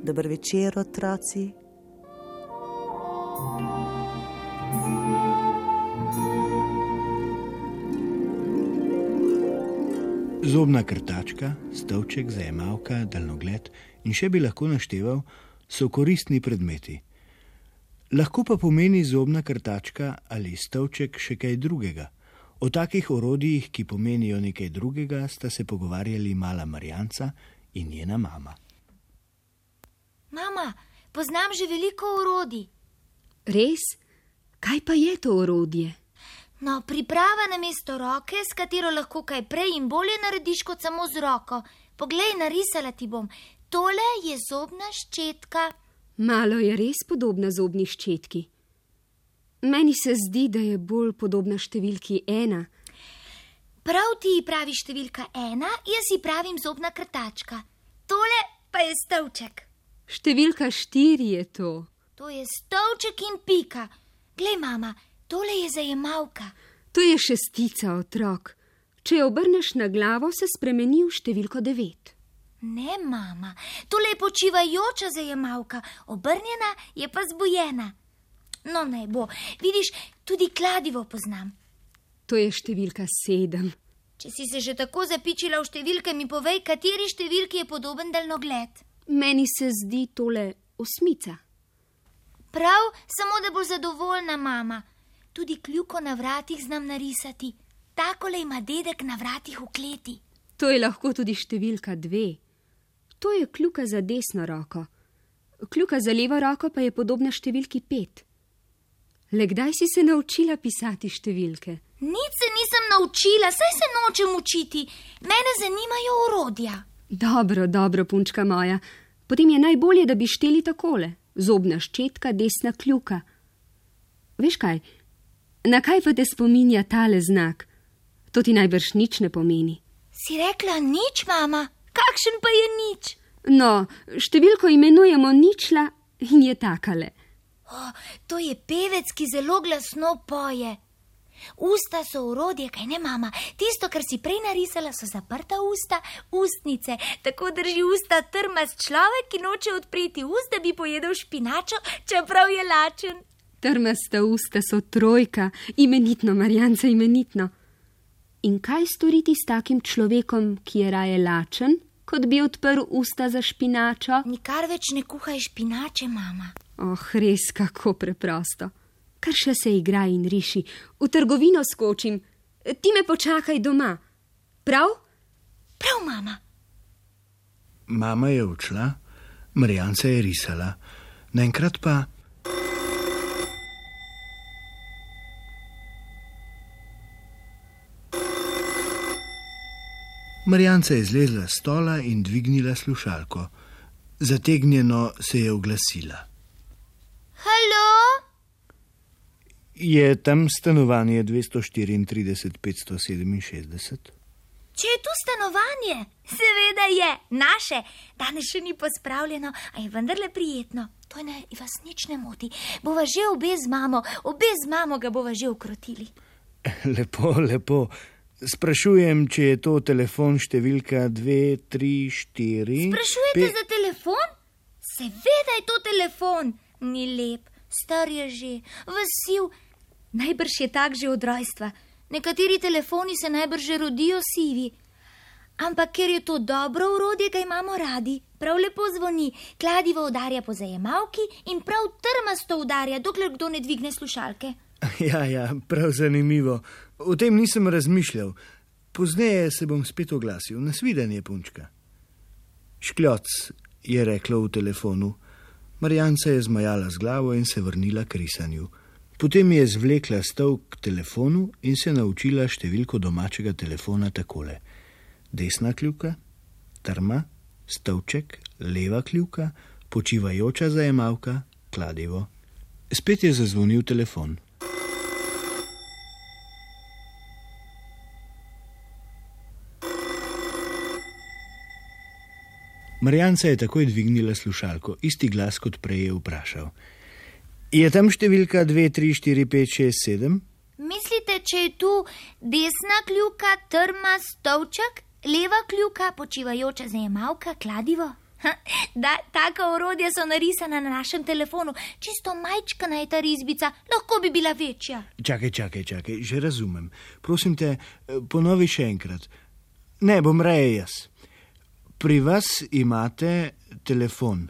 Dober večer, otroci. Zobna krtačka, stolček, zajemalka, daljnogled in še bi lahko našteval, so koristni predmeti. Lahko pa pomeni zobna krtačka ali stolček še kaj drugega. O takih orodjih, ki pomenijo nekaj drugega, sta se pogovarjali mala Marjanca in njena mama. Mama, poznam že veliko orodij. Res? Kaj pa je to orodje? No, priprava namesto roke, s katero lahko kaj prej in bolje narediš kot samo z roko. Poglej, narisala ti bom. Tole je zobna ščetka. Malo je res podobna zobni ščetki. Meni se zdi, da je bolj podobna številki 1. Prav ti pravi številka 1, jaz ji pravim zobna krtačka. Tole pa je stolček. Številka 4 je to. To je stolček in pika. Glej, mama, tole je zajemalka. To je šestica, otrok. Če jo obrneš na glavo, se spremeni v številko 9. Ne, mama, tole je počivajoča zajemalka. Obrnjena je pa zbujena. No, naj bo. Vidiš, tudi kladivo poznam. To je številka 7. Če si se že tako zapičila v številke, mi povej, kateri številki je podoben daljnogled. Meni se zdi tole 8. Prav, samo da bo zadovoljna, mama. Tudi kljuko na vratih znam narisati. Takole ima dedek na vratih v kleti. To je lahko tudi številka 2. To je kljuka za desno roko. Kljuka za levo roko pa je podobna številki 5. Le kdaj si se naučila pisati številke? Nič se nisem naučila, saj se nočem učiti. Mene zanimajo orodja. Dobro, punčka moja. Potem je najbolje, da bi šteli takole. Zobna ščetka, desna kljuka. Veš kaj? Na kaj pa te spominja tale znak? To ti najbrž nič ne pomeni. Si rekla nič, mama? Kakšen pa je nič? No, številko imenujemo ničla in je takale. To je pevec, ki zelo glasno poje. Usta so orodje, kaj ne, mama? Tisto, kar si prej narisala, so zaprta usta, ustnice. Tako drži usta trmast človek, ki noče odpreti ust, da bi pojedel špinačo, čeprav je lačen. Trmasta usta so 3, imenitno, Marjanca, imenitno. In kaj storiti s takim človekom, ki je raje lačen, kot bi odprl usta za špinačo? Nikar več ne kuhaj špinače, mama. Res, kako preprosto. Kar še se igra in riši. V trgovino skočim. Ti me počakaj doma. Prav? Prav, mama. Mama je odšla, Marjanca je risala. Naenkrat pa... Marjanca je zlezla s stola in dvignila slušalko. Zategnjeno se je oglasila. Halo? Je tam stanovanje 234 567? Če je tu stanovanje, seveda je, naše. Danes še ni pospravljeno, a je vendarle prijetno. To naj vas nič ne moti. Bova že obe z mamo ga bova že ukrotili. Lepo. Sprašujem, če je to telefon številka 234... Sprašujete za telefon? Seveda je to telefon. Ni lep, star je že, vasiv. Najbrž je tak že od rojstva. Nekateri telefoni se najbrž že rodijo sivi. Ampak ker je to dobro orodje, ga imamo radi. Prav lepo zvoni, kladivo udarja po zajemalki in prav trmasto udarja, dokler kdo ne dvigne slušalke. Ja, prav zanimivo. O tem nisem razmišljal. Pozneje se bom spet oglasil. Nasvidenje, punčka. Škljoc, je reklo v telefonu. Marjanca je zmajala z glavo in se vrnila k risanju. Potem je zvlekla stol k telefonu in se naučila številko domačega telefona takole. Desna kljuka, trma, stolček, leva kljuka, počivajoča zajemalka, kladivo. Spet je zazvonil telefon. Marjanca je takoj dvignila slušalko, isti glas kot prej je vprašal. Je tam številka 2, 3, 4, 5, 6, 7? Mislite, če je tu desna kljuka, trma, stolček, leva kljuka, počivajoča zajemalka, kladivo? Taka orodja so narisana na našem telefonu. Čisto majčkana je ta risbica, lahko bi bila večja. Čakaj, že razumem. Prosim te, ponovi še enkrat. Ne, bom raje jaz. Pri vas imate telefon.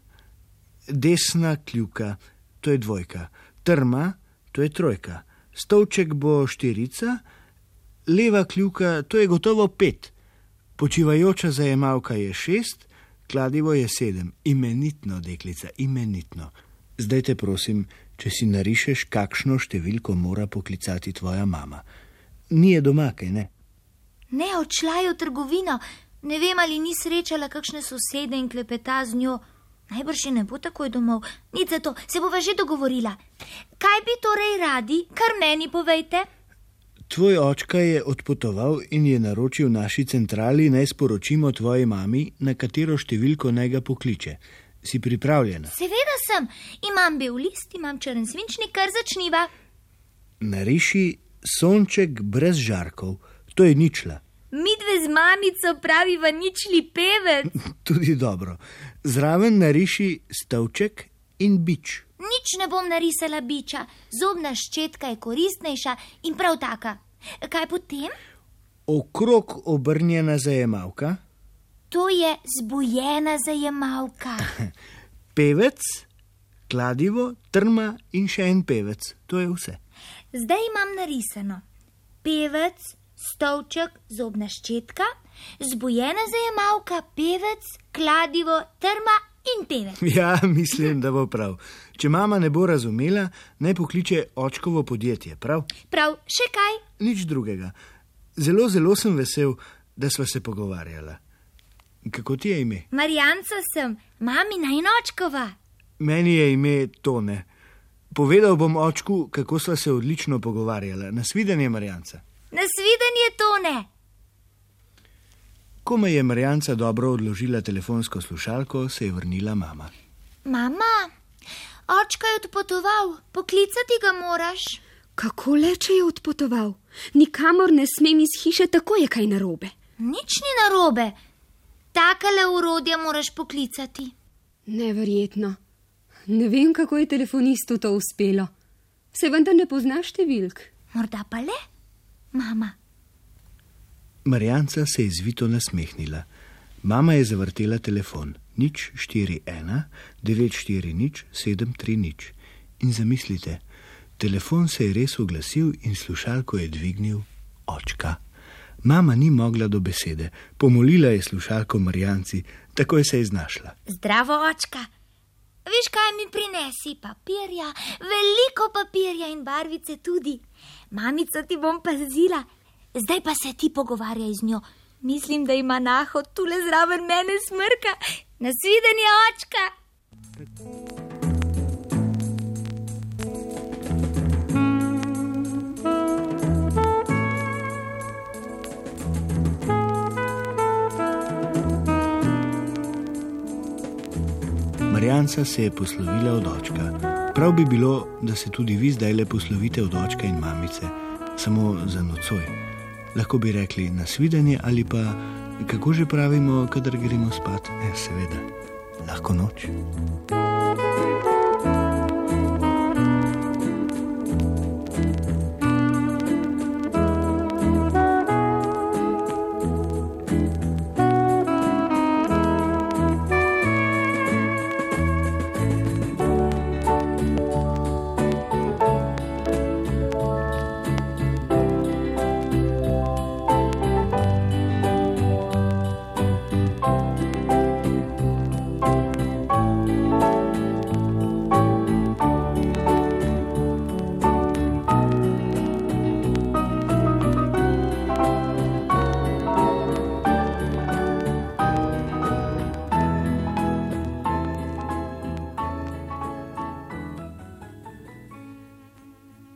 Desna kljuka, to je 2, trma, to je 3, stolček bo 4, leva kljuka, to je gotovo 5, počivajoča zajemalka je 6, kladivo je 7. Imenitno, deklica, imenitno. Zdaj te prosim, če si narišeš, kakšno številko mora poklicati tvoja mama. Ni je doma, kaj ne? Ne, odšla je v trgovino. Ne vem, ali ni srečala kakšne sosede in klepeta z njo. Najbrž še ne bo takoj domov. Nič za to, se bova že dogovorila. Kaj bi torej radi, kar meni povejte? Tvoj očka je odpotoval in je naročil naši centrali, naj sporočimo tvoji mami, na katero številko naj ga pokliče. Si pripravljena? Seveda sem. Imam bel list, imam črn svinčnik, kar začniva. Nariši sonček brez žarkov. To je ničla. Midve z mamico praviva ničli pevec. Tudi dobro. Zraven nariši stavček in bič. Nič ne bom narisala biča. Zobna ščetka je koristnejša in prav taka. Kaj potem? Okrog obrnjena zajemalka. To je zbujena zajemalka. Pevec, kladivo, trma in še en pevec. To je vse. Zdaj imam narisano. Pevec, stolček, zobna ščetka, zbujena zajemalka, pevec, kladivo, trma in pevec. Ja, mislim, da bo prav. Če mama ne bo razumela, naj pokliče očkovo podjetje, prav? Prav, še kaj? Nič drugega. Zelo sem vesel, da sva se pogovarjala. Kako ti je ime? Marjanca sem, mamina in očkova. Meni je ime Tone. Povedal bom očku, kako sva se odlično pogovarjala. Nasvidenje, Marjanca. Nasvidenje, Tone. Ko me je Marjanca dobro odložila telefonsko slušalko, se je vrnila mama. Mama, očka je odpotoval, poklicati ga moraš. Kako le, če je odpotoval? Nikamor ne smem iz hiše, tako je kaj narobe. Nič ni narobe. Takale orodja moraš poklicati. Neverjetno. Ne vem, kako je telefonistu to uspelo. Se vendar ne pozna številk. Morda pa le, mama. Marjanca se je zvito nasmehnila. Mama je zavrtela telefon. 041 940 730. In zamislite, telefon se je res oglasil in slušalko je dvignil očka. Mama ni mogla do besede. Pomolila je slušalko Marjanci, takoj se je znašla. Zdravo, očka. Veš, kaj mi prinesi? Papirja, veliko papirja in barvice tudi. Mamico ti bom pazila. Zdaj pa se ti pogovarjaj z njo. Mislim, da ima nahod tule zraven mene smrka. Nasvidenje, očka. Marjanca se je poslovila od očka. Prav bi bilo, da se tudi vi zdajle poslovite od očka in mamice, samo za nocoj. Lahko bi rekli nasvidenje ali pa, kako že pravimo, kadar gremo spat? Seveda, lahko noč.